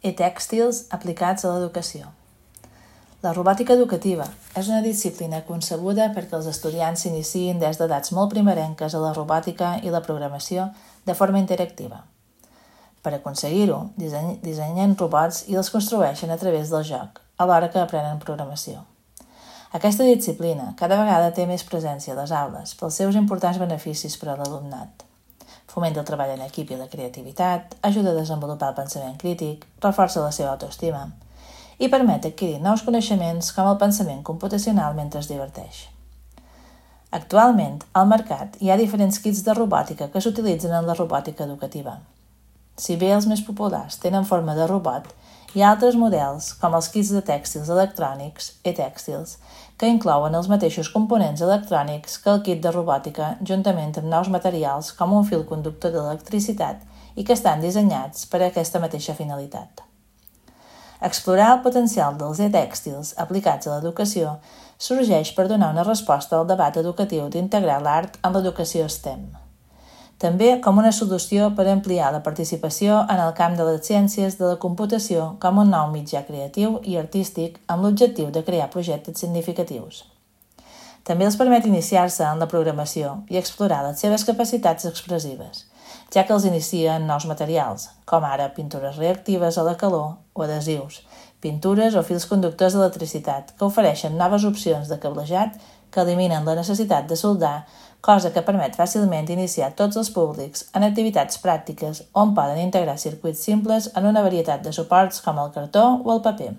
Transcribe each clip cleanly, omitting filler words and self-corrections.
i tèxtils aplicats a l'educació. La robòtica educativa és una disciplina concebuda perquè els estudiants s'iniciïn des d'edats molt primerenques a la robòtica i la programació de forma interactiva. Per aconseguir-ho, dissenyen robots i els construeixen a través del joc, alhora que aprenen programació. Aquesta disciplina cada vegada té més presència a les aules pels seus importants beneficis per a l'alumnat. Fomenta el treball en equip i la creativitat, ajuda a desenvolupar el pensament crític, reforça la seva autoestima i permet adquirir nous coneixements com el pensament computacional mentre es diverteix. Actualment, al mercat hi ha diferents kits de robòtica que s'utilitzen en la robòtica educativa. Si bé els més populars tenen forma de robot, hi ha altres models, com els kits de tèxtils electrònics, e-tèxtils, que inclouen els mateixos components electrònics que el kit de robòtica juntament amb nous materials com un fil conductor d'electricitat i que estan dissenyats per a aquesta mateixa finalitat. Explorar el potencial dels e-tèxtils aplicats a l'educació sorgeix per donar una resposta al debat educatiu d'integrar l'art en l'educació STEM. També com una solució per ampliar la participació en el camp de les ciències de la computació com un nou mitjà creatiu i artístic amb l'objectiu de crear projectes significatius. També els permet iniciar-se en la programació i explorar les seves capacitats expressives, ja que els inicia en nous materials, com ara pintures reactives a la calor o adhesius, pintures o fils conductors d'electricitat que ofereixen noves opcions de cablejat que eliminen la necessitat de soldar, cosa que permet fàcilment iniciar tots els públics en activitats pràctiques on poden integrar circuits simples en una varietat de suports com el cartó o el paper.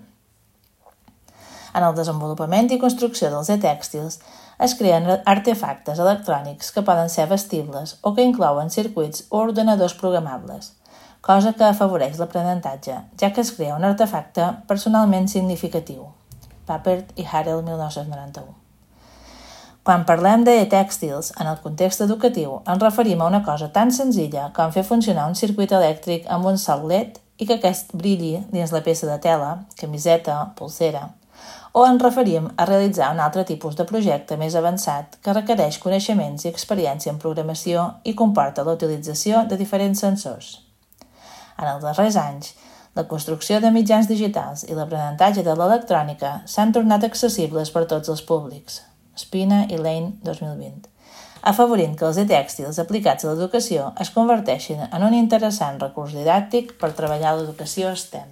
En el desenvolupament i construcció dels e-tèxtils es creen artefactes electrònics que poden ser vestibles o que inclouen circuits o ordenadors programables, cosa que afavoreix l'aprenentatge, ja que es crea un artefacte personalment significatiu. Papert i Harel, 1991. Quan parlem d'e-tèxtils en el context educatiu, ens referim a una cosa tan senzilla com fer funcionar un circuit elèctric amb un sol LED i que aquest brilli dins la peça de tela, camiseta, polsera, o ens referim a realitzar un altre tipus de projecte més avançat que requereix coneixements i experiència en programació i comporta la utilització de diferents sensors. En els darrers anys, la construcció de mitjans digitals i l'aprenentatge de l'electrònica s'han tornat accessibles per tots els públics. Spina i Lane, 2020. Afavorint que els e-tèxtils aplicats a l'educació es converteixin en un interessant recurs didàctic per treballar l'educació STEM.